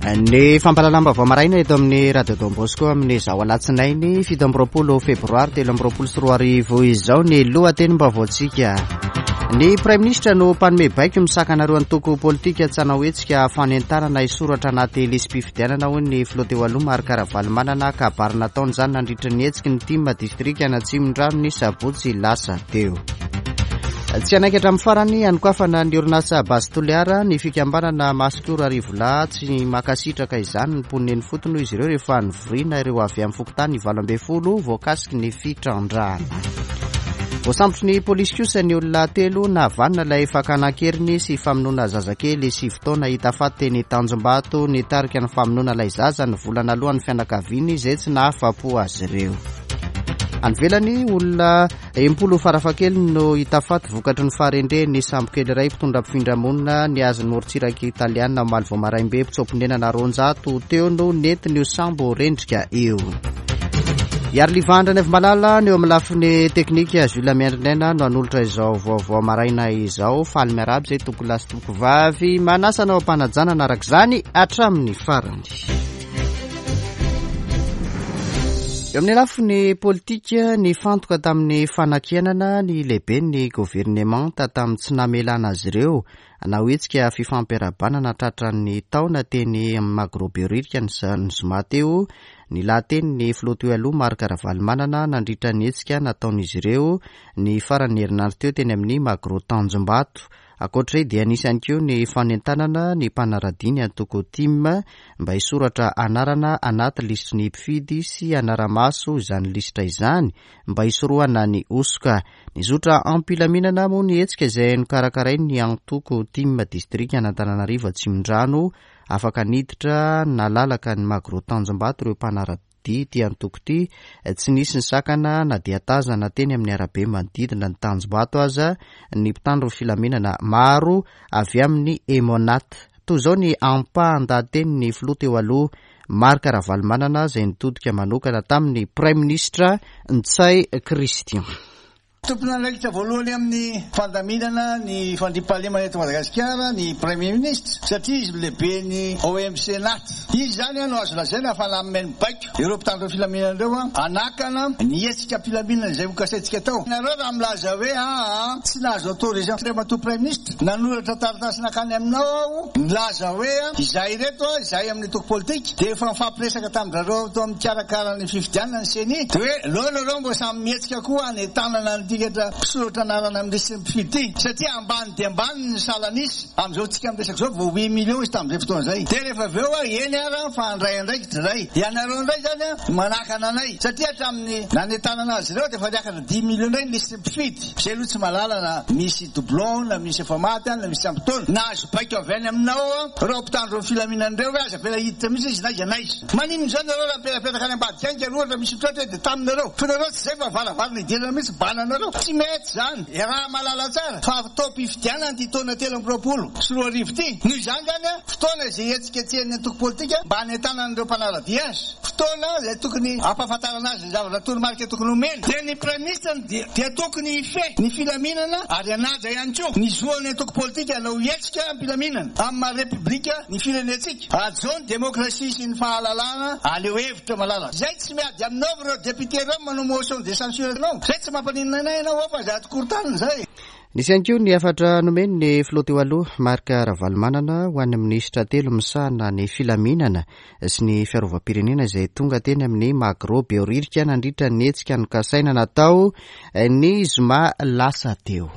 Ny fampahalalam-baovao maraina eto amin'ny Radio Don Bosco amin'izao alatsinainy 27 febroary 2023 izao ny lohatenim-baovaontsika. Ny Praiminisitra no mpanome baiko misakana ireo antoko politika tsy hanao hetsika fanentanana hisoratra anaty lisi-pifidianana hoy ny filoha teo aloha Marc Ravalomanana. Kabary nataony izany nandritra ny hetsiky ny tim distrikan'Atsimondrano ny sabotsy lasa teo. Tsy hanaiky hatramin'ny farany hanokafana ny orinasa Base Toliara ny fikambanana Masikoro Arivolahy. Tsy mankasitraka izany ny mponina eny ifotony hoy izy ireo rehefa nivoriana ireo avy amin'ny fokontany 18 voakasiky ny fitrandrahana. Voasambotry ny polisy kosa ny olona telo nahavanona ilay fakana an-keriny sy famonoana zazakely sivy taona hita faty teny Tanjombato. Nitarika ny famonoana ilay zaza ny vola naloan'ny fianakaviany izay tsy nahafa-po azy ireo. Any ivelany, olona 60 farafahakeliny no hita faty vokatry ny faharendrehan'ny sambokely iray mpitondra mpifindra-monina nihazo ny morontsiraka italiana omaly vao maraim-be. Mpitsoa-ponenana 200 teo no nentin'io sambo rendrika io. Iariliva Andrianaivomalala ny eo amin'ny lafiny teknika, Jules Miandrinaina no hanolotra izao vaovao maraina izao. Faly miarahaba izay tompokolahy sy tompokovavy. Manasa anao am-panajana araka izany hatramin'ny farany. Eo amin'ny lafiny politika, nifantoka tamin'ny fanakianana ny lehiben'ny governemanta tamin'ny tsy namelana azy ireo hanao hetsika fifampiarahabana nahatratra ny taona teny Magro Behoririka ny zoma teo ny lahatenin'ny filoha teo aloha Marc Ravalomanana nandritra ny hetsika nataon'izy ireo ny faran'ny herinandro teo teny amin'ny Magro Tanjombato. Ankoatra izay dia nisy ihany koa ny fanentanana ny mpanaradia ny antoko tim mba hisoratra anarana anaty lisitry ny mpifidy sy hanara-maso izany lisitra izany mba hisorohana ny hosoka. Nizotra am-pilaminana moa ny hetsika izay nokarakarain'ny antoko tim distrikan'Antananarivo Atsimondrano. Afaka niditra nalalaka ny Magro Tanjombato ireo mpanara-dia ity antoko ity. Tsy nisy ny sakana na dia tazana teny amin'ny arabe manodidina ny Tanjombato aza ny mpitandro filaminana maro avy amin'ny Emmonat. Toy izao ny ampahan-dahatenin'ny filoha teo aloha Marc Ravalomanana izay nitodika manokana tamin'ny Praiminisitra Ntsay Christian. Tompon'andraikitra voalohany amin'ny fandaminana ny fandriampahalemana eto Madagasikara ny Praiminisitra satria izy no lehiben'ny OMC Nat. Izy izany no azo lazaina fa nanome ny baiko ireo mpitandro ny filaminana ireo hanakana ny hetsika am-pilaminana izay hokasaintsika atao. Ianareo raha milaza hoe aa tsy nahazo autorisation Andriamatoa Praiminisitra, nanoratra taratasy nankany aminao aho nilaza hoe izahay ireto, izahay amin'ny antoko politika dia efa nifampiresaka tamin-dRareo tao amin'ny mpikarakara ny fifidianana ny Ceni dia hoe aleo nareo mba samy mihetsika koa hanentanana ny tikatra mpisoratra anarana amin'ny lisitry ny mpifidy ity satria ambany dia ambany ny salan'isa amin'izao tsika miresaka izao vao huit millions izy tamin'izay fotoana izay dia rehefa avy eo aho eny ara fa handray andraikitra izay ianareo indray izany a manakana anay satria hatramin'ny nanentanana azy ireo dia efa niakatra dix millions indray ny lisitry ny mpifidy izay aloha tsy mahalala na misy doublon na misy efa maty any na misy tsy ampy taona nahazo baiko avy any aminao ireo mpitandro ny filaminana ireo hoe aza avela hiditra mihitsy izy n'aiza n'aiza. Maninona izany nareo raha mipetrapetraka any ambadika any ka ohatra misy mitratra hoe dia taminareo fa nareo tsy izay fa varavarana idirana mihitsy bananareo tsy mety izany iaraha mahalala tsara fa fotoam-pifidianana ity taona 2023 ity noho izany izany fotoana izay hihetsiketsehan'ny antoko politika mba hanentanana ireo mpanara-dia azy fotoana izay tokony hampahafantarana azy ny zavatra toromarika tokony homena dia ny praiminisitra no dia dia tokony hifehy ny filaminana ary hanaja ihany koa ny zoan'ny antoko politika hanao hetsika am-pilaminana amin'ny maha repoblika ny firenentsika. Hajao ny demokrasia sy ny fahalalahana, aleo hevitra malalaka. Zay tsy miady aminao ireo député ireo manao motion de censure anao. Zay tsy mampaninona anay ianao ao fa zay ato korotanina zay. Nisy ihany koa ny hafatra nomeny ny filoha teo aloha Marc Ravalomanana ho an'ny minisitra telo misahana ny filaminana sy ny fiarovam-pirenena izay tonga teny amin'ny Magro Behoririka nandritra ny hetsika nokasaina natao ny zoma lasa teo.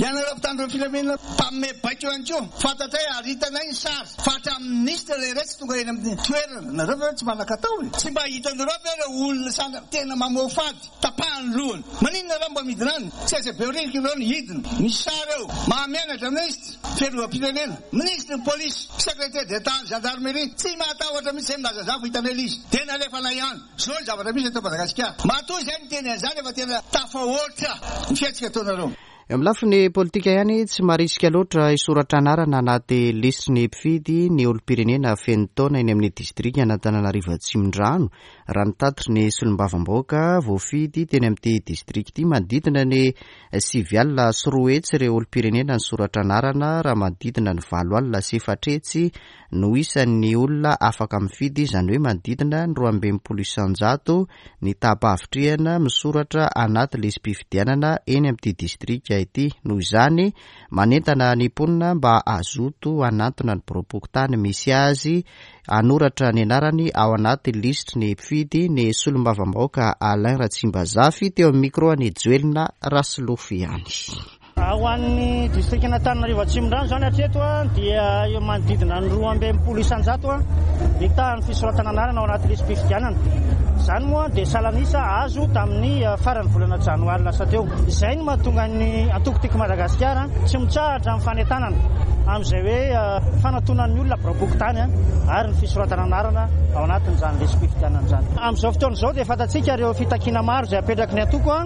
Ianareo mpitandro ny filaminana mpanome baiko ihany koa, fantatray ary hitanay ny sary fa hatramin'ny minisitra ilay iray tsy tonga eny amin'ny toerana. Nareo ve tsy manan-katao e? Tsy mba hitanareo ve ireo olona sanda tena mamoafady, tapahany lohany? Maninona nareo mba midina any? Tsy aiza Behoririka ireo no hidina. Misy sary eo. Mahamenatra minisitra fiarovam-pirenena, minisitry ny polisy, secrétaire d'Etat ny gendarmerie. Tsy mahatahotra mihitsy izay milaza an'izany fa hitanay ilay izy. Dia nalefanay ihany. Zao ny zavatra misy eto Madagasikara. Matoa izay miteny an'izany efa tena tafahoatra ny fihetsika ataonareo. Eo amin'ny lafiny politika ihany, tsy marisika loatra hisoratra anarana anaty lisitry ny mpifidy ny olom-pirenena feno taona eny amin'ny distrikan'Antananarivo Atsimondrano, raha ny tatitry ny solombavambahoaka voafidy teny amin'ity distrika ity. Manodidina ny 209 ireo olom-pirenena nisoratra anarana, raha manodidina ny 480 no isan'ny olona afaka mifidy, izany hoe manodidina ny 62% ny taham-pahavitrihana misoratra anaty lisi-pifidianana eny amin'ity distrika ity. Noho izany, manentana ny mponina mba hazoto hanantona ny biraom-pokontany misy azy hanoratra ny anarany ao anaty lisitry ny mpifidy ny solombavambahoaka Alain Ratsimbazafy teo amin'ny micro an'i Joelina Rasolofo ihany. Ho an'ny distrikan'Antananarivo Atsimondrano izany hatreto dia eo manodidina ny 62% ny tahan'ny fisoratana anarana ao anaty lisi-pifidianana. Izany moa dia salan'isa azo tamin'ny faran'ny volana janoary lasa teo. Izay no mahatonga ny antoko Tiako Madagasikara tsy mitsahatra amin'ny fanentanana amin'izay hoe fanatonan'ny olona biraom-pokontany ary ny fisoratana anarana ao anatin'izany lisi-pifidianana izany. Amin'izao fotoana izao dia fantatsika ireo fitakiana maro izay apetraky ny antoko.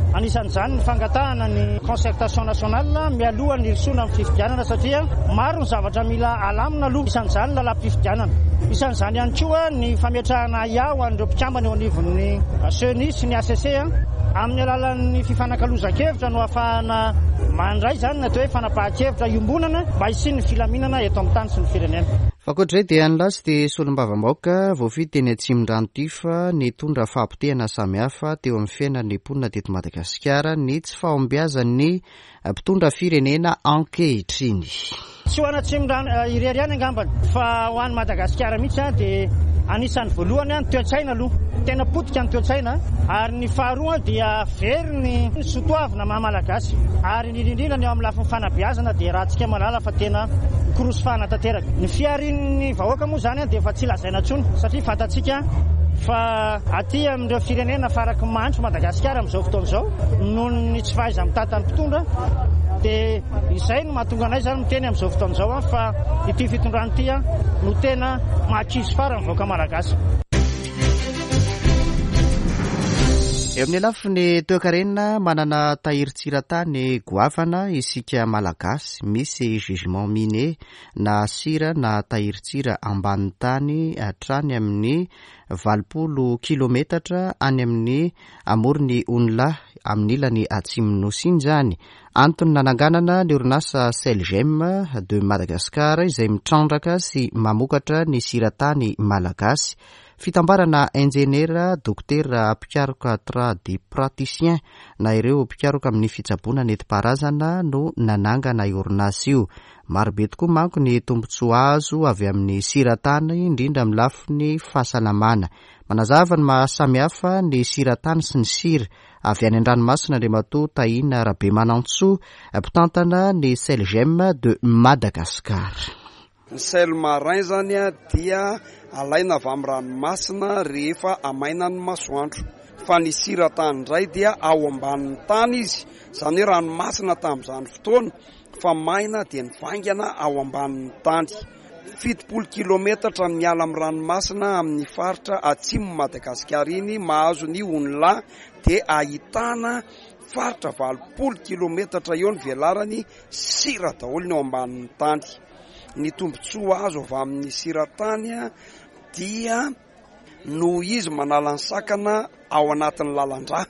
Anisan'izany ny fangatahana ny concertation nationale mialoha ny hirosoana amin'ny fifidianana satria maro ny zavatra mila alamina aloha, isan'izany ny lalam-pifidianana. Isan'izany ihany koa ny fametrahana ahiahy ho an'ireo mpikambana eo anivon'ny Ceni sy ny hcc. Amin'ny alalan'ny fifanakalozan-kevitra no ahafahana mandray izany ny atao hoe fanapahan-kevitra iombonana mba hisian'ny filaminana eto amin'ny tany sy ny firenena. Fa ankoatr'izay dia nilaza ity solombavambahoaka voafidy teny Atsimondrano ity fa nitondra fahapotehana samihafa teo amin'ny fiainan'ny mponina teto Madagasikara ny tsy fahombiazan'ny mpitondra firenena ankehitriny. Tsy ho an'Atsimondrano irery ihany angambany fa ho an'i Madagasikara mihitsy dia anisan'ny voalohany ny toe-tsaina aloha. Tena potika ny toe-tsaina ary ny faharoa dia very ny soatoavina maha Malagasy ary indrindra indrindra ny eo amin'ny lafiny fanabeazana dia ratsika mahalala fa tena mikorosofahana tanteraka. Ny fiharian'ny vahoaka moa izany dia efa tsy lazaina intsony satria fantatsika fa aty amin'ireo firenena faraky mahantra Madagasikara amin'izao fotoana izao noho ny tsy fahaiza-mitantan'ny mpitondra dia izay no mahatonga anay izany miteny amin'izao fotoana izao fa ity fitondrana ity no tena mahakizo farany vahoaka malagasy. Eo amin'ny lafiny toekarena, manana tahirin-tsira-tany goavana isika Malagasy. Misy gisement minier na sira na tahirin-tsira ambanin'ny tany hatrany amin'ny 80 kilometatra any amin'ny amoron'i Onilahy, amin'ny ilany atsimon'ny Nosy iny izany. Antony nananganana ny orinasa Selgem de Madagascar izay mitrandraka sy mamokatra ny sira-tany malagasy. Fitambarana injeniera, dokotera, mpikaroka tradipraticien na ireo mpikaroka amin'ny fitsaboana nentim-paharazana no nanangana io orinasa io. Marobe tokoa manko ny tombontsoa azo avy amin'ny siratany, indrindra amin'ny lafiny fahasalamana. Manazava ny maha samihafa ny siratany sy ny sira avy any an-dranomasina Andriamatoa Tahina Rabemanantsoa, mpitantana ny Selgem de Madagascar. Ny sel marin zany dia alaina avy amin'ny ranomasina rehefa amaina ny masoandro. Fa ny sira tany indray dia ao ambanin'ny tany izy, izany hoe ranomasina tamin'izany fotoana fa maina dia nivaingana ao ambanin'ny tany. 70 kilometatra miala amin'ny ranomasina amin'ny faritra atsimon'i Madagasikara iny mahazo ny Onilahy dia ahitana faritra 80 kilometatra eo ny velarany, sira daholo ny ao ambanin'ny tany. Ny tombontsoa azo avy amin'ny sira tany dia noho izy manala ny sakana ao anatin'ny lalan-drà.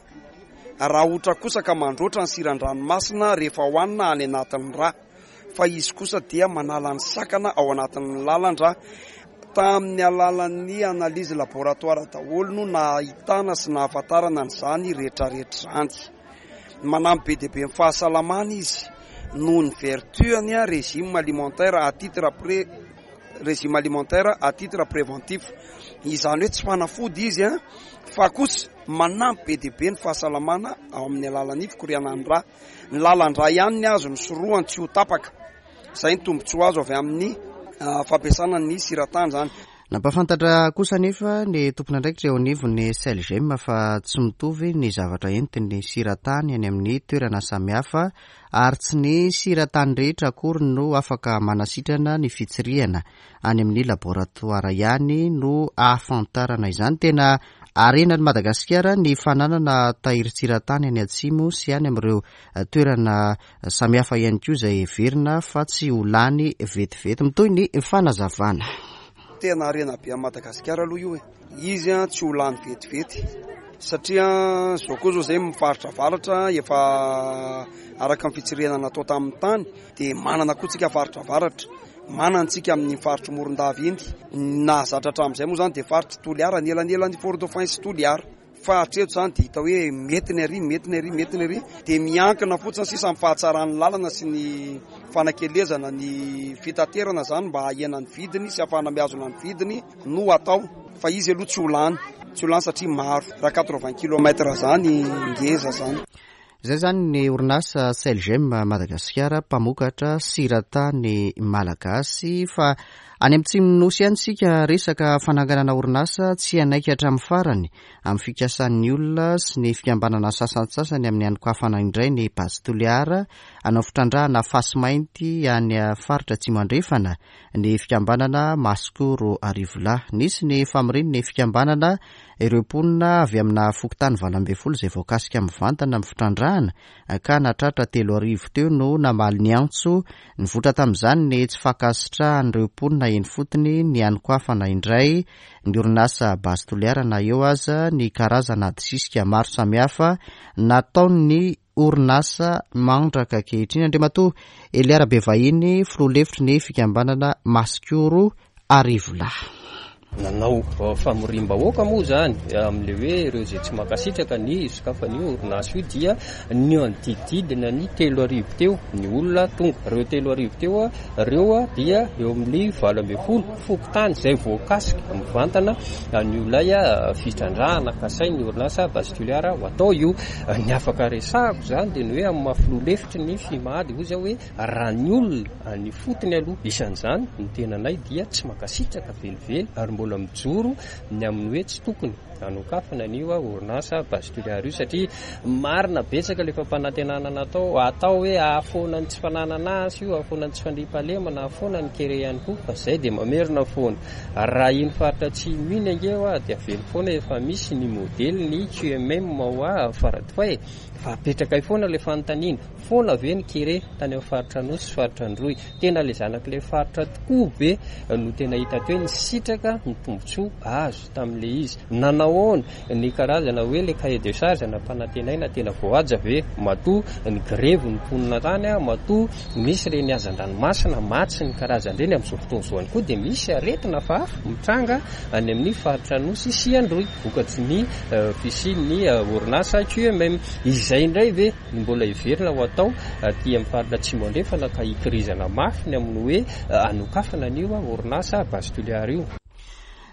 Raha ohatra kosa ka mandroatra ny siran-dranomasina rehefa hohanina any anatin'ny rà. Fa izy kosa dia manala ny sakana ao anatin'ny lalan-drà. Tamin'ny alalan'ny analyse laboratoire daholo no nahitana sy nahafantarana an'izany rehetrarehetra izany. Manampy be dia be ny fahasalamana izy noho ny vertu-ny régime alimentaire à titre pré régime alimentaire à titre préventif. Izany hoe tsy fanafody izy fa kosa manampy be dia be ny fahasalamana ao amin'ny alalan'ny fikorianan'ny rà. Ny lalan-drà ihany ny azo nisorohany tsy ho tapaka. Izay ny tombontsoa azo avy amin'ny fampiasana ny siratany izany. Nampahafantatra kosa anefa ny tompon'andraikitra eo anivon'ny Selgem fa tsy mitovy ny zavatra entin'ny siratany any amin'ny toerana samihafa ary tsy ny siratany rehetra akory no afaka manasitrana ny fitsirihana. Any amin'ny laboratoara ihany no ahafantarana izany. Tena Harenan'i Madagasikara ny fananana tahirin-tsirantany any atsimo sy any amin'ireo toerana samihafa ihany koa izay heverina fa tsy ho lany vetivety. Mitohy ny fanazavana. Tena harena be an'i Madagasikara aloha io e. Izy tsy ho lany vetivety satria izao koa izao izay faritra avaratra efa araka ny fitsirihana natao tamin'ny tany dia manana koa tsika faritra avaratra. Manana antsika amin'ny faritry Morondava iny. Ny nahazatra hatramin'izay moa izany dia faritry Toliara, anelanelan'i Fort Dauphin sy Toliara. Fa hatreto izany dia hita hoe mety ny ary, mety ny ary, mety ny ary. Dia miankina fotsiny sisa amin'ny fahatsaran'ny lalana sy ny fanakelezana ny fitaterana izany mba hahena ny vidiny sy hahafahana mihazona ny vidiny no atao. Fa izy aloha tsy ho lany, tsy ho lany satria maro. Raha 80 kilomètre izany ngeza izany. Izay izany ny orinasa Selgem Madagasikara mpamokatra siratany malagasy fa any amin'ny tsimon'ny nosy ihany isika resaka fananganana orinasa tsy hanaiky hatramin'ny farany amin'ny fikasan'ny olona sy ny fikambanana sasantsasany amin'ny hanokafana indray ny Base Toliara hanao fitrandrahana fasimainty any faritra Atsimo Andrefana ny fikambanana Masikoro Arivolahy. Nisy ny famorian'ny fikambanana ireo mponina avy amina fokontany 18 izay voakasika mivantana amin'ny fitrandrahana ka nahatratra 3000 teo no namaly ny antso. Nivoitra tamin'izany ny tsy fankasitrahan'ireo mponina eny fotony ny hanokafana indray ny orinasa Base Toliara na eo aza ny karazana adisisika maro samihafa nataon'ny orinasa mandraka ankehitriny. Andriamatoa Elia Rabevahiny, filoha lefitry ny fikambanana Masikoro Arivolahy. Nanao famoriam-bahoaka moa izany amin'ilay hoe ireo izay tsy mankasitraka ny hisokafan'io orinasa io dia nianodididina ny 3000 teo ny olona tonga. Ireo 3000 teo ireo dia eo amin'ny 18 fokontany izay voakasika mivantana an'io ilay fitrandrahana kasain'ny orinasa Base Toliara ho atao io. Ny afaka resahako izany dia ny hoe amin'ny maha filoha lefitry ny Fimad hoy zaho hoe raha ny olona any ifotony aloha isan'izany ny tenanay dia tsy mankasitraka velively ary mbola mijoro ny amin'ny hoe tsy tokony hanokafana an'io orinasa Base Toliara io satria marina betsaka ilay fampanantenana natao atao hoe hahafoana ny tsy fananana asa io, hahafoana ny tsy fandriampahalemana, hahafoana ny kere ihany koa fa izay dia mamerina foana. Raha iny faritra atsimo iny ange hoa dia avelo foana efa misy ny modely ny QMM hoa Faradofay e! Fa apetrakay foana ilay fanontaniana, foana ve ny kere tany amin'ny faritra Anosy sy faritra Androy? Tena ilay zanak'ilay faritra tokoa ve no tena hita teo hoe nisitraka ny tombontsoa azo tamin'ilay izy? Nanahoana ny karazana hoe ilay cahier de charge nampanantenaina tena voahaja ve? Matoa nigrevy ny mponina tany, matoa Misy ireny hazan-dranomasina maty sy ny karazany ireny amin'izao fotoana izao ihany koa dia misy aretina hafahafa mitranga any amin'ny faritra Anosy sy Androy vokatry ny fisian'ny orinasa QMM. Izay indray ve no mbola heverina ho atao aty amin'ny faritra Atsimo Andrefana ka hikirizana mafy ny amin'ny hoe hanokafana an'io orinasa Base Toliara io?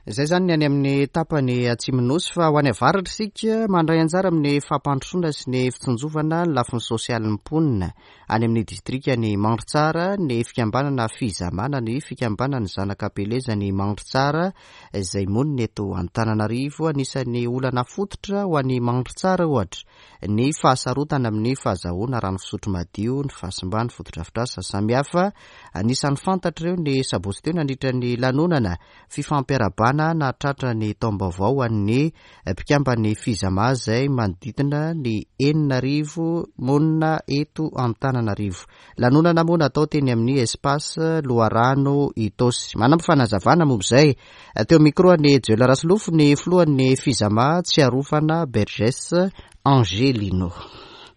Izay izany ny any amin'ny tapany atsimon'ny Nosy fa ho any avaratra isika mandray anjara amin'ny fampandrosoana sy ny fitsinjovana ny lafiny sosialin'ny mponina. Any amin'ny distrikan'i Mandritsara, ny fikambanana Fizama na ny fikambanan'ny zanak'Ampelezan'i Mandritsara izay monina eto Antananarivo. Anisan'ny olana fototra ho an'i Mandritsara ohatra ny fahasarotana amin'ny fahazahoana rano fisotro madio, ny fahasimban'ny fotodrafitrasa samihafa. Anisan'ny fantatra ireo ny sabotsy teo nandritra ny lanonana fifampiarahabana nahatratra ny taom-baovao ho an'ny mpikamban'ny Fizama izay manodidina ny 6000 monina eto Antananarivo. Lanonana moa natao teny amin'ny Espace Loharano Itaosy. Manampy fanazavana momba izay teo micro an'i Joel Rasolofo ny filohan'ny Fizama Tsiarofana Berges Angelino.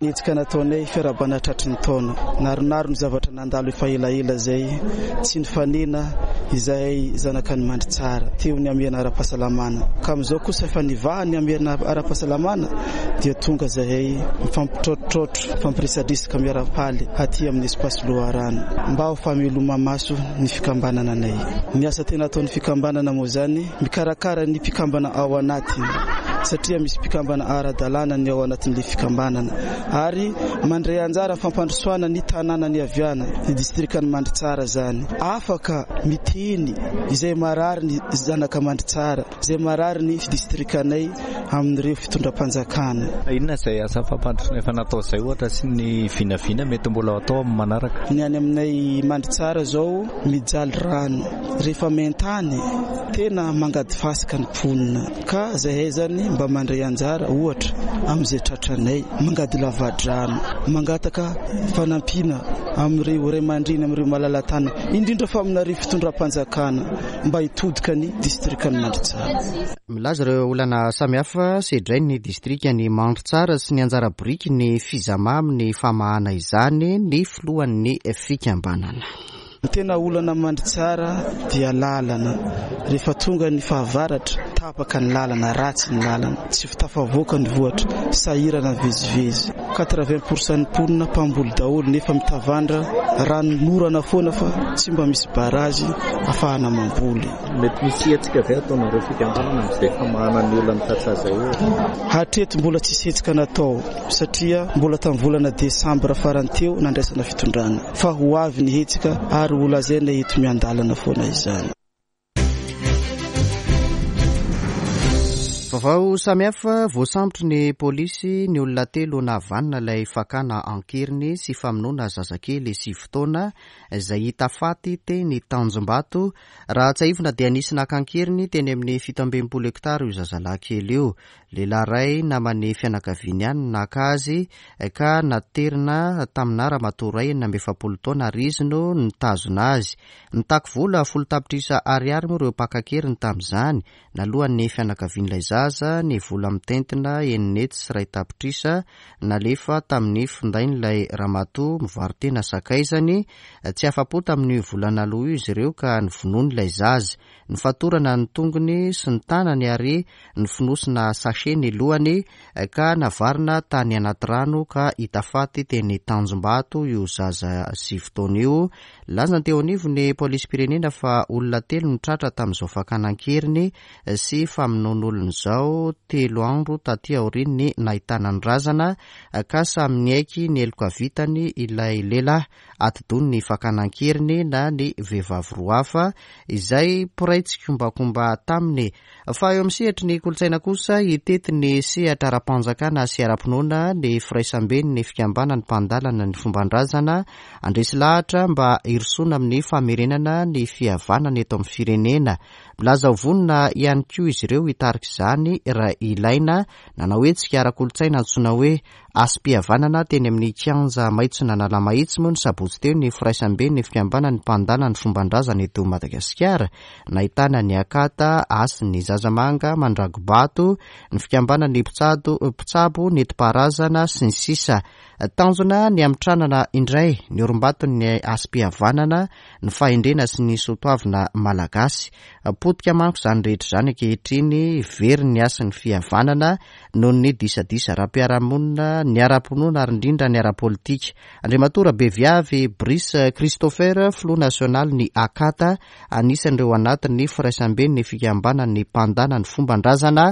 Ny hetsika nataonay fiarahabana tratry ny taona. Naronaro ny zavatra nandalo efa elaela izay tsy nifanena izahay zanakan'i Mandritsara teo ny hamehana ara-pahasalamana. Ka amin'izao kosa efa nivaha ny hamehana ara-pahasalamana dia tonga izahay mifampitraotraotra, mifampiresadresaka miara-paly aty amin'ny Espace Loharano mba ho fameloma-maso ny fikambanana anay. Ny asa tena ataon'ny fikambanana moa izany mikarakara ny mpikambana ao anatiny satria misy mpikambana ara-dalàna ny ao anatin'ilay fikambanana ary mandray anjara fampandrosoana ny tanàna niaviana, ny distrikan'i Mandritsara izany. Afaka miteny izay marary ny zanaka Mandritsara, izay marary ny distrikanay amin'ireo fitondram-panjakana. Inona izay asa fampandrosoana efa natao izay ohatra sy ny vinavina mety mbola ho atao amin'ny manaraka? Ny any aminay Mandritsara izao mijaly rano. Rehefa main-tany, tena mangady fasika ny mponina. Ka zahay zany Izahay mba mandray anjara ohatra amin'izay tratranay, mangady lavadrano, mangataka fanampiana amin'ireo ray aman-dreny, amin'ireo malala-tanana, indrindra fa aminareo fitondram-panjakana mba hitodika ny distrikan'i Mandritsara. Milaza ireo olana samihafa sedrain'ny distrikan'i Mandritsara sy ny anjara biriky ny Fizama amin'ny famahana izany ny filohan'ny fikambanana. Ny tena olana Mandritsara dia lalana. Rehefa tonga ny fahavaratra, tapaka ny lalana, ratsy ny lalana, tsy tafavoaka ny vohatra, sahirana mivezivezy. Quatre-vingt pour cent ny mponina mpamboly daholo nefa mitavandra ranonorana foana fa tsy mba misy barazy afahana mamboly. Mety misy hetsika ve ataonareo fikambanana amin'izay famahana ny olan'ny tantsaha izay ohatra? Hatreto mbola tsisy hetsika natao satria mbola tamin'ny volana desambra farany teo nandraisana fitondrana. Fa ho avy ny hetsika ary ho lazaina eto miandalana foana izany. Vaovao samihafa, voasambotry ny polisy ny olona telo nahavanona ilay fakana an-keriny sy famonoana zazakely sivy taona izay hita faty teny Tanjombato. Raha tsiahivina dia nisy naka an-keriny teny amin'ny 67 hektara io zazalahy kely io. Lehilahy iray naman'ny fianakaviany ihany no naka azy ka naterina tamina ramatoa iray 46 taona ary izy no nitazona azy. Nitaky vola folo tapitrisa ariary moa ireo mpaka an-keriny tamin'izany. Naloan'ny fianakavian'ilay zaza ny vola mitentina 1.6 tapitrisa nalefa tamin'ny findain'ilay ramatoa mivaro-tena sakaizany. Tsy afa-po tamin'io vola naloa io izy ireo ka novonoiny ilay zaza. Nofatorana ny tongony sy ny tanany ary nofonosina sachet ny lohany ka navarina tany anaty rano ka hita faty teny Tanjombato io zaza sivy taona io. Nilaza ny teo anivon'ny polisim-pirenena fa olona telo no tratra tamin'izao fakana an-keriny sy famonoan'olona izao telo andro taty aorian'ny nahitana ny razana ka samy niaiky ny heloka vitany ilay lehilahy. atidoha ny fakana an-keriny na ny vehivavy roa hafa izay mpiray tsikombakomba taminy. Fa eo amin'ny sehatry ny kolontsaina kosa, hitety ny sehatra ara-panjakana sy ara-pinoana ny firaisamben'ny fikambanan'ny mpandalana ny fomban-drazana, handresy lahatra mba hirosoana amin'ny famerenana ny fihavanana eto amin'ny firenena. Milaza ho vonona ihany koa izy ireo hitarika izany raha ilaina. Nanao hetsika ara-kolontsaina antsoina hoe Hasim-pihavanana teny amin'ny kianja maitson'Analamahitsy moa ny sabotsy teo ny firaisamben'ny fikambanan'ny mpandala ny fomban-drazana eto Madagasikara. Nahitana ny Akata, Hasin'ny Zazamanga, Mandragobato, ny fikambanan'ny mpitsado, mpitsabo nentim-paharazana, sy ny sisa Tanjona ny hamitranana indray ny orimbaton'ny hasim-pihavanana, ny fahendrena sy ny soatoavina malagasy. Potika manko izany rehetra izany ankehitriny, very ny hasin'ny fihavanana, noho ny disadisa ara-piarahamonina, ny ara-pinoana ary indrindra ny ara-politika. Andriamatoa Rabeviavy Brice Christopher, filoha nasionalin'ny Akata, anisan'ireo anatin'ny firaisamben'ny fikambanan'ny mpandana ny fomban-drazana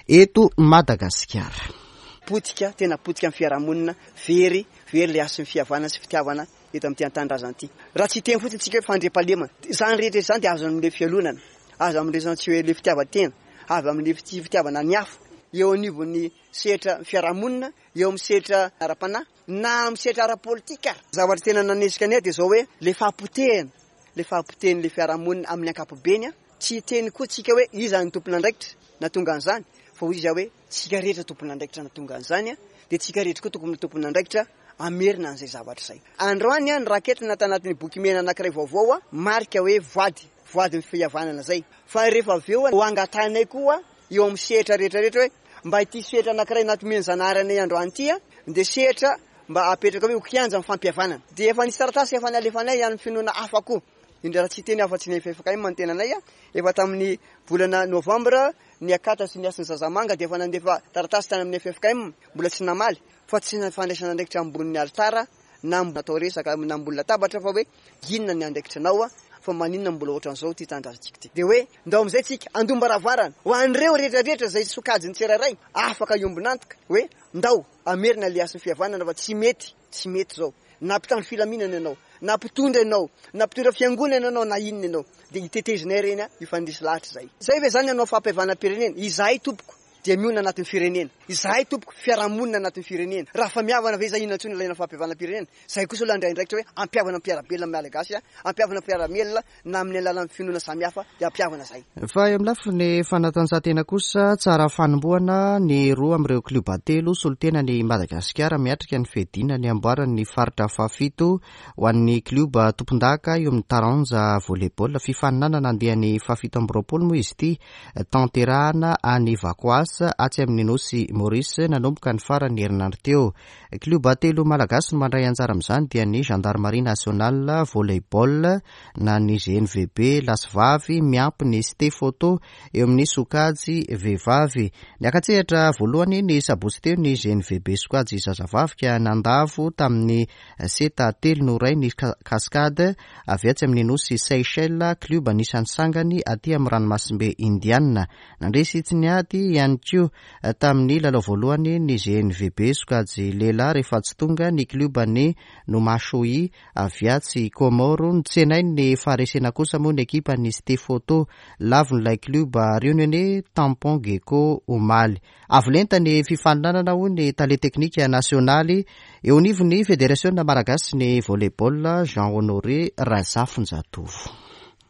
eto Madagasikara. Potika, tena potika ny fiarahamonina, very, very ilay hasin'ny fihavanana sy fitiavana eto amin'ity an-tanindrazana ity. Raha tsy hiteny fotsiny tsika hoe fandriampahalemana, izany rehetra izany dia azo amin'ilay fialonana, azo amin'ilay tsy hoe ilay fitiavan-tena, avy amin'ny tsy fitiavana ny hafa, eo anivon'ny sehatra fiarahamonina, eo amin'ny sehatra ara-panahy, na amin'ny sehatra ara-politika ary. Zavatra tena nanesika anay dia izao hoe ilay fahapotehana, ilay fahapotehan'ilay fiarahamonina amin'ny ankapobeny, tsy hiteny koa tsika hoe iza no tompon'andraikitra nahatonga an'izany, fa hoy izy hoe tsika rehetra tompon'andraikitra nahatonga an'izany, dia tsika rehetra koa tokony ho tompon'andraikitra hamerina an'izay zavatra izay. Androany aho noraketina tanatin'ny boky mena anankiray vaovao, marika hoe voady, voadin'ny fihavanana izay. Fa rehefa avy eo ho angatahinay koa eo amin'ny sehatra rehetra rehetra hoe mba ity sehatra anankiray natomen'i Zanahary anay androany ity dia sehatra mba apetraka hoe ho kianja amin'ny fampihavanana. Dia efa nisy taratasy efa nalefanay any amin'ny finoana hafa koa, indrindra raha tsy hiteny afa-tsy ny ffkm ny tenanay, efa tamin'ny volana novambra ny Akata sy ny Hasin'ny Zazamanga dia efa nandefa taratasy tany amin'ny ffkm, mbola tsy namaly fa tsy fandraisana andraikitra ambonin'ny alitara na atao resaka na ambony latabatra fa hoe inona ny andraikitranao fa maninona mbola ohatran'izao ity tanindrazantsika ity. Dia hoe ndao amin'izay tsika andom-baravarana ho an'ireo rehetra rehetra izay sokajin'ny tsirairay afaka hiombon'antoka hoe ndao hamerina ilay hasin'ny fihavanana fa tsy mety, tsy mety izao. Na mpitandro filaminana ianao, na mpitondra ianao, na mpitondra fiangonana ianao na inona ianao dia hitetezinay ireny hifandresy lahatra izay. Izay ve izany hanao fampihavanam-pirenena? Izahay tompoko. dia mionona anatin'ny firenena. Izahay tompoko, fiarahamonina anatin'ny firenena. Raha fa mihavana ve izay inona intsony ilaina fampihavanam-pirenena? Izahay kosa aloha handray andraikitra hoe hampihavana ny mpiara-belona amin'ny Malagasy, hampihavana ny mpiara-mielona na amin'ny alalan'ny finoana samihafa dia hampihavana izahay. Fa eo amin'ny lafiny fanatanjahantena kosa, tsara fanombohana ny roa amin'ireo klioba telo solontenan'i Madagasikara miatrika ny fiadiana ny amboaran'ny faritra fahafito ho an'ny klioba tompondaka eo amin'ny taranja volley-ball. Fifaninanana andiany fahafito amby roapolo moa izy ity, tanterahana any Vacoas, atsy amin'ny nosy Maurice, nanomboka ny faran'ny herinandro teo. Klioba telo malagasy no mandray anjara amin'izany dia ny Gendarmerie Nationale Volley-ball na ny GNVB lahy sy vavy miampy ny Ste Photo eo amin'ny sokajy vehivavy. Niaka-tsehatra voalohany ny sabotsy teo ny GNVB sokajy zazavavy ka nandavo tamin'ny seta telo no iray ny Cascade avy atsy amin'ny nosy Seychelles, klioba anisan'ny sangany aty amin'ny ranomasimbe Indiana. Nandresy tsy niady ihany koa tamin'ny lalao voalohany ny GNVB sokajy lehilahy rehefa tsy tonga ny klioban'ny Nomachoï avy atsy Comores. Notsenain'ny faharesena kosa moa ny ekipan'ny Ste Photo. Lavon'ilay klioba Réunionnais Tampon Gecko omaly. Avo lenta ny fifaninanana hoy ny tale teknika nasionaly eo anivon'ny federasiona malagasy ny volley-ball Jean Honoré Razafinjatovo.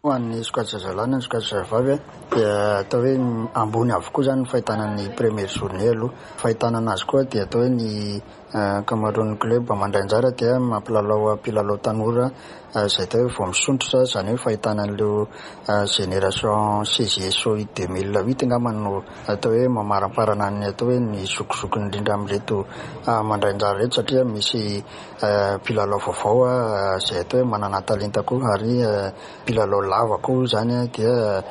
Ho an'ny sokajy zazalahy na ny sokajy zazavavy dia atao hoe ambony avokoa izany ny fahitana ny première journée aloha. Fahitana anazy koa dia atao hoe ny ankamaroan'ny club mandray anjara dia mampilalao mpilalao tanora izay atao hoe vao misondrotra, izany hoe fahitana an'ireo génération CJSOI 2008 angamba no atao hoe mamaramparana ny atao hoe ny zokizokiny indrindra amin'ireto mandray anjara ireto satria misy Mpilalao vaovao izay atao hoe manana talenta koa ary mpilalao lava koa izany dia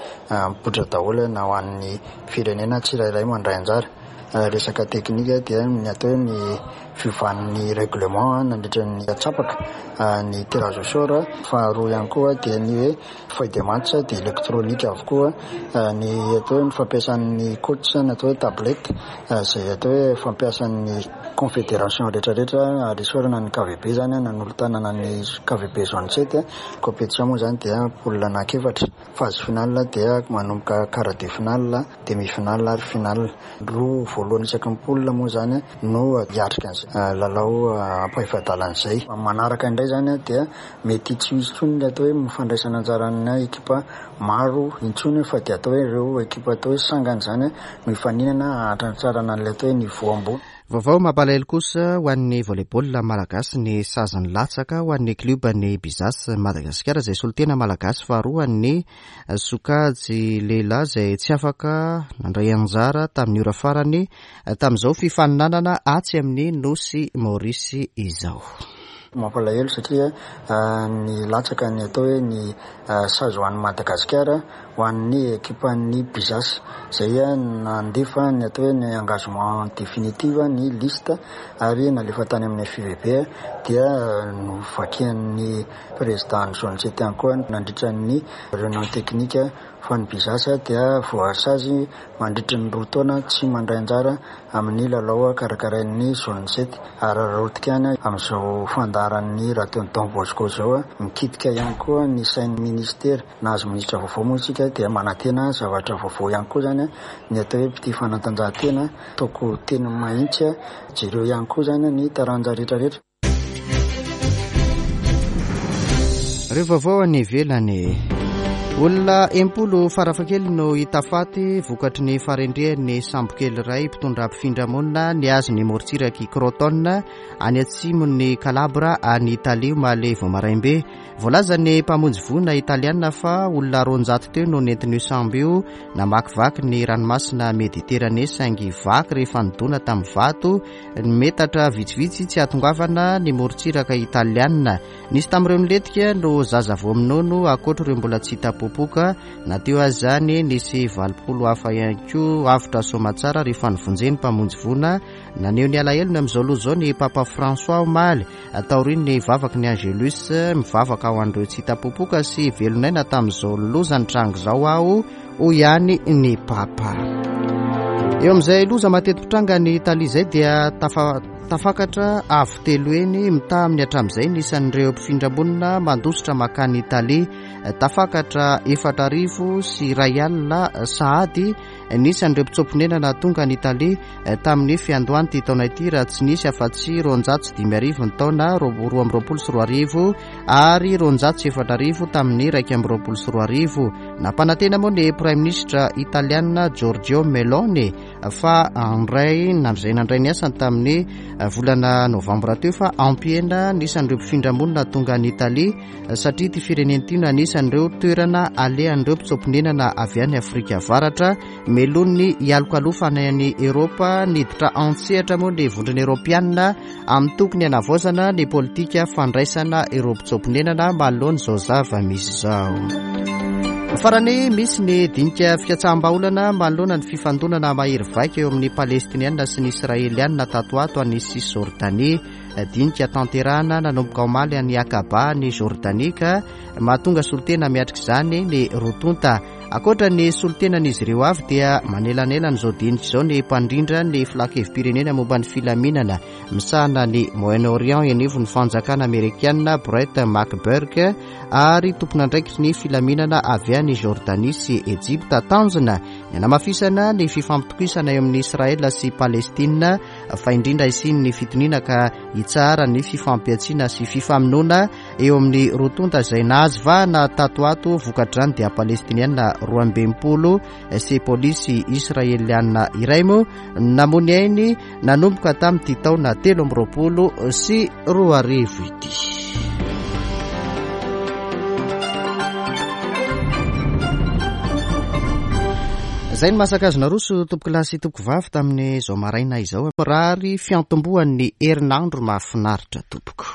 mipoitra daholo na ho an'ny firenena tsirairay mandray anjara. Resaka teknika dia ny atao hoe ny fiovan'ny règlement nandritra ny antsapaka ny tirage au sort. Faharoa ihany koa dia ny hoe feuille de match dia électronique avokoa ny atao hoe ny fampiasan'ny coach ny atao hoe tablette izay atao hoe fampiasan'ny confédération rehetrarehetra ary isaorana ny KVB izany nanolo-tanana ny KVB zone 7. Compétition moa izany dia poule anankiefatra, phase finale dia manomboka quart de finale, demi finale ary finale. Roa voalohany isaky ny poule moa izany no hiatrika an'izay lalao ampahefa-dalana izay. Manaraka indray izany dia Mety tsy ho hisy intsony ny atao hoe fandraisana anjaran'ny ekipa maro intsony fa dia atao hoe ireo ekipa atao hoe sangany izany no hifaninana hahatratrarana an'ilay atao hoe niveau ambony. Vaovao mampalahelo kosa ho an'ny volley-ball malagasy ny sazy nilatsaka ho an'ny klioban'ny Bizas Madagasikara izay solontena malagasy faharoa an'ny sokajy lehilahy izay tsy afaka nandray anjara tamin'ny ora farany tamin'izao fifaninanana atsy amin'ny Nosy Maorisy izao. Mampalahelo satria nilatsaka ny atao hoe ny sazy ho an'i Madagasikara ho an'ny ekipan'ny Bizas izay nandefa ny atao hoe ny engagement définitive ny liste ary nalefa tany amin'ny FIVB dia novakian'ny président ny zone sept ihany koa nandritra ny réunion technique fa ny Bizas dia voasazy mandritry ny roa taona tsy mandray anjara amin'ny lalao karakarain'ny Zone sept ary rotika ihany amin'izao fandaharan'ny Radio Don Bosco izao. Mikitika ihany koa ny sain'ny minisitera. Nahazo minisitra vaovao moa isika dia manantena zavatra vaovao ihany koa izany ny atao hoe mpitia fanatanjahantena. Ataoko teny mahitsy, jereo ihany koa izany ny taranja rehetrarehetra. Ireo vaovao any ivelany. Olona 60 farafahakeliny no hita faty vokatry ny faharendrehan'ny sambokely iray mpitondra mpifindra-monina nihazo ny morontsirak'i Crotone any atsimon'i Calabres any Italia omaly vao maraim-be. Voalazan'ny mpamonjy voina italiana fa olona 200 teo no nentin'io sambo io namakivaky ny ranomasina Mediterane saingy vaky rehefa nidona tamin'ny vato ny metatra vitsivitsy tsy hahatongavana ny morontsiraka italiana. Nisy tamin'ireo nilentika no zaza vao minono ankoatra ireo mbola tsy hita popoka. Na teo aza izany, nisy 80 hafa ihany koa avotra soamatsara rehefa novonjen'ny mpamonjy voina. Naneho ny alahelony amin'izao loza izao ny Papa François omaly, taorian'ny vavaky ny Angelus. Mivavaka ho an'ireo tsy hita popoka sy velon'aina tamin'izao loza nitranga izao aho, hoy ihany ny Papa. Eo amin'izay loza mateti-pitranga any Italia izay dia tafa. Tafakatra avo telo heny mitaha amin'ny hatramin'izay ny isan'ireo mpifindra-monina mandositra mankany Italia. Tafakatra 1040 sahady ny isan'ireo mpitsoa-ponenana tonga any Italia tamin'ny fiandohan'ity taona ity raha tsy nisy afa-tsy 2500 ny taona 2022 ary 4200 tamin'ny 2021. Nampanantena moa ny Praiminisitra italiana Giorgio Meloni fa handray izay nandray ny asany tamin'ny volana novambra teo fa hampihena ny isan'ireo mpifindra monina tonga any Italia satria ity firenena ity no anisan'ireo toerana alehan'ireo mpitsoa-ponenana avy any Afrika Avaratra melohin'ny hialokalofana any Eoropa. Niditra an-tsehatra moa ny Vondrona Eoropeanina amin'ny tokony hanavaozana ny politika fandraisana ireo mpitsoa-ponenana manoloana izao zava-misy izao. Farany, misy ny dinika fikatsaham-bahaolana manoloana ny fifandonana mahery vaika eo amin'ny Palestiniana sy ny Israeliana tato ato any Cisjordanie. Dinika tanterahana nanomboka omaly any Aqaba any Jordanie ka mahatonga solontena miatrika izany ny roa tonta. Ankoatra ny solontenan'izy ireo avy dia manelanelana izao dinika izao ny mpandrindra ny filan-kevi-pirenena momba ny filaminana misahana ny Moyen-Orient eny anivon'ny fanjakana amerikana Brett McGurk ary tompon'andraikitry ny filaminana avy any Jordanie sy Ejipta. Tanjona ny hanamafisana ny fifampitokisana eo amin'i Israel sy Palestina fa indrindra hisian'ny fitoniana ka hitsaharan'ny fifampihantsiana sy fifamonoana eo amin'ny roa tonta izay nahazo vahana tato ato vokatr'izany dia palestiniana 62 sy polisy israeliana iray moa namoy ny ainy nanomboka tamin'ity taona 2023 ity. Izay ny masaka azo naroso tompokolahy sy tompokovavy tamin'izao maraina izao. Mirary fiantombohan'ny herinandro mahafinaritra tompoko.